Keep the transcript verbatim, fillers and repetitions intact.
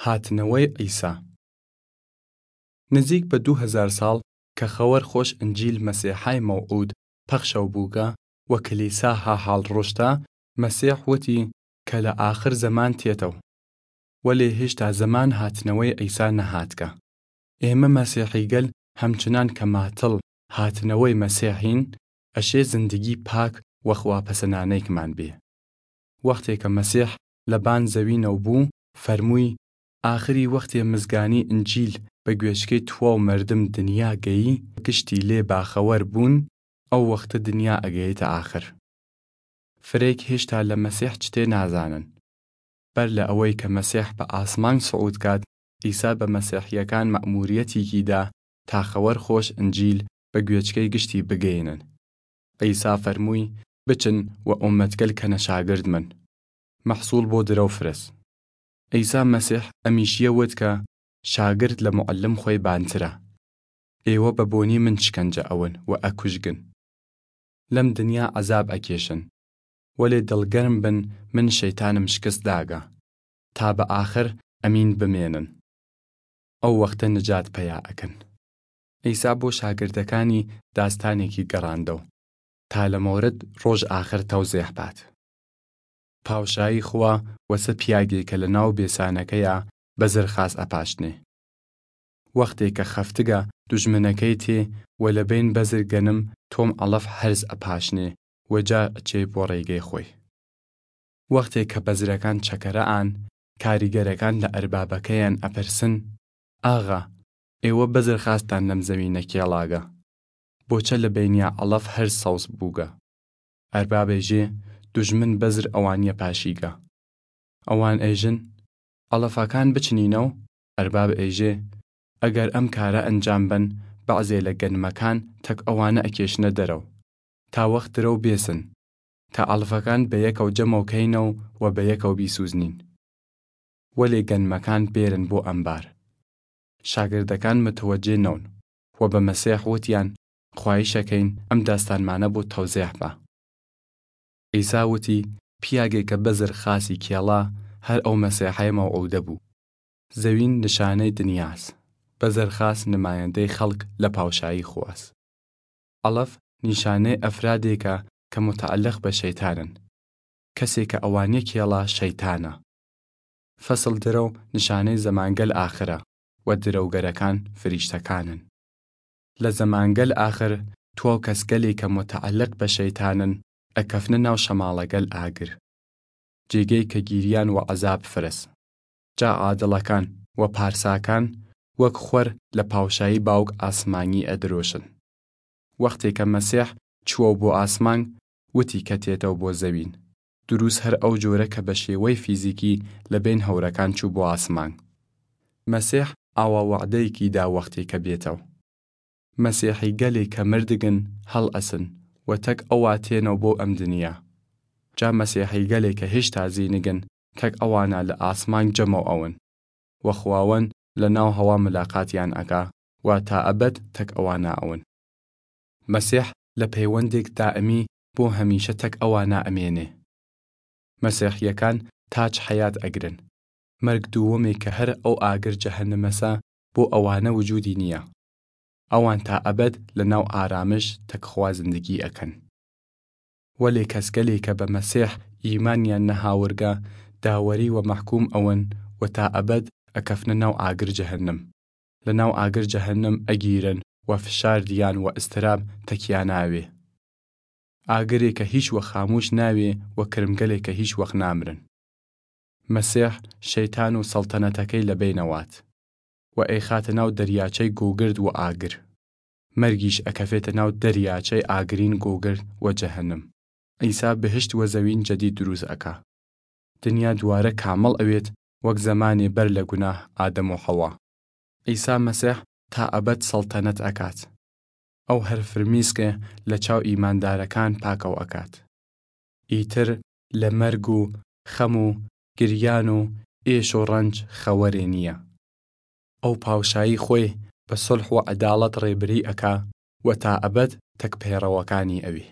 هاتنەوەی عیسا. نزیک بە دوو هەزار ساڵ کە خەوەر خۆش ئنجیل مەسیحای مەوعود پەخشەو بووگە و کلیسا ها حاڵ ڕوشتا، مەسیح وتی کە لە ئاخر زەمان تێتەو، وەلێ هێشتا زەمان هاتنەوەی عیسا نەهاتگە. ئێمە مەسیحیگەل هەمچنان کە ماتڵ هاتنەوەی مەسیحین، ئەشێ زندگی پاک و خواپەسەنانەیکمان بێ. وەختێ کە مەسیح لە بان زەوینەو بوو، فەرمووی، ئاخری وەختێ مزگانی ئنجیل بە گوێچکەی تواو مەردم دنیا گەیی، گشتی لێ باخەوەر بوون، ئەو وەختە دنیا ئەگەیتە ئاخر. فرەیگ هێشتا لە مەسیح چتێ نازانن. بەر لە ئەوەی کە مەسیح بە ئاسمانگ سعود کات، عیسا بە مەسیحیەکان مەئموریەتیکی دا تا خەوەر خۆش ئنجیل بە گوێچکەی گشتی بگەینن. عیسا فەرمووی، بچن و ئومەتگەل کەنە شاگرد من. مەحسوڵ بۆ درەو فرەس. عیسا مەسیح ئەمیشیە وت کە شاگرد لە موعەلم خوەی بانترە. ئێوە بە بۆنی من شکەنجە ئەون و ئەکوشگن. لەم دنیا عەزاب ئەکێشن. وەلێ دڵگەرم بن، من شەیتانم شکست داگە. تا بە ئاخر ئەمین بمێنن. ئەو وەختە نجات پەیا ئەکەن. عیسا بۆ شاگردەکانی داستانێکی گەڕاندەو تا لە مەورد ڕۆژ ئاخر تەوزێح بات. پاوشایی خوا وەسە پیاگێ کە لە ناو بێسانەکەیا بەزر خاس ئەپاشنێ. وەختێ کە خەفتگە دوژمنەکەی تێ و لە بەین بەزر گەنم تۆم عەڵەف هەرز ئەپاشنێ و جا ئەچێ بۆ ڕێگەی خوەی. وەختێ کە بەزرەکان چەکەرە ئان، کاریگەرەکان لە ئەربابەکەیان ئەپرسن، ئاغا، ئێوە بەزر خاستان لەم زەوینە کێڵاگە؟ بۆچە لە بەینیا عەڵەف هەرز سەوز بووگە؟ ئەرباب ئێژێ، دوژمن بەزر ئەوانیە پاشیگە. ئەوان ئێژن، عەڵەفەکان بچنینەو؟ ئەرباب ئێژێ، ئەگەر ئەم کارە ئەنجام بەن، بەعزێ لە گەنمەکان تەک ئەوانە ئەکێشنە دەرەو، تا وەخت درەو بێسن، تا عەڵەفەکان بەیەکەو جەمەو کەینەو و بەیەکەو بیسوزنین. وەلێ گەنمەکان بێرن بۆ ئەمبار. شاگردەکان متوەجێ نەون و بە مەسیح وتیان، خوایش ئەکەین ئەم داستانمانە بۆ تەوزێح با. عیسا وتی، پیاگێ کە بەزر خاسی کێڵا، هەر ئەو مەسیحەی مەوعودە بوو. زەوین نشانەی دنیاس. بەزر خاس نمایەندەی خەڵک لە پاوشایی خواس. عەڵەف نیشانەی ئەفرادێکە کە متعەلق بە شەیتانن. کەسێ کە ئەوانیە کێڵا شەیتانە. فەسڵ درەو نیشانەی زەمانگەل ئاخرە و درەوگەرەکان فریشتەکانن. لە زەمانگەل ئاخر تواو کەسگەلێ کە متعەلق بە شەیتانن ئەکەفنە ناو شەماڵەگەل ئاگر. جێگەی کە گیریان و عەزاب فرەس. جا عادڵەکان و پارساکان وەک خوەر لە پاوشایی باوگ ئاسمانی ئەدرۆشن. وەختێ کە مەسیح چووەو بۆ ئاسمانگ، وتی کە تێتەو بۆ زەوین. دروس هەر ئەو جۆرە کە بە شێوەی فیزیکی لە بەین هەورەکان چوو بۆ ئاسمانگ. مەسیح ئاوا وەعدەیەکی دا وەختێ کە بێتەو. مەسیحیگەلێ کە مردگن هەڵ ئەسن و تەک ئەوا تێنەو بۆ ئەم دنیا. جا مەسیحیگەلێ کە هێشتا زینگن تەک ئەوانا لە ئاسمانگ جەمەو ئەون و خواوەن لە ناو هەوا ملاقاتیان ئەکا و تا ئەبەد تەک ئەوانا ئەون. مەسیح لە پەیوەندێک دائمی بۆ هەمیشە تەک ئەوانا ئەمێنێ. مەسیحیەکان تاج حەیات ئەگرن. مەرگ دووەمێ کە هەر ئەو ئاگر جەهەنمەسە بۆ ئەوانە وجودی نیە. ئەوان تا ئەبەد لە ناو ئارامش تەک خوا زندگی ئەکەن. وەلێ کەسگەلێ کە بە مەسیح ئیمانیان نەهاورگە داوەری و مەحکوم ئەون و تا ئەبەد ئەکەفنە ناو ئاگر جەهەنم. لە ناو ئاگر جەهەنم ئەگیرن و فشار دیان و ئستراب تەکیا ناوێ. ئاگرێ کە هیچ وەخت خاموش ناوێ و کرمگەلێ کە هیچ وەخت نامرن. مەسیح شەیتان و سەڵتەنەتەکەی لە بەینەوات و ئەیخاتە ناو دەریاچەی گۆگرد و ئاگر. مەرگیش ئەکەفێتە ناو دەریاچەی ئاگرین گۆگرد و جەهەنم. عیسا بهشت و زەوین جەدید دروس ئەکا. دنیا دووارە کامڵ ئەوێت وەک زەمانێ بەر لە گوناه ئادەم و حەوا. عیسا مەسیح تا ئەبەد سەڵتەنەت ئەکات. ئەو هەر فرمیسکێ لە چاو ئیماندارەکان پاکەو ئەکات. ئیتر لە مەرگ و خەم و گریان و ئێش و ڕەنج خەوەرێ نیە. ئەو پاوشایی خوەی بە سوڵح و عەداڵەت ڕێبری ئەکا و تا ئەبەد تەک پەێڕەوەکانی ئەوی.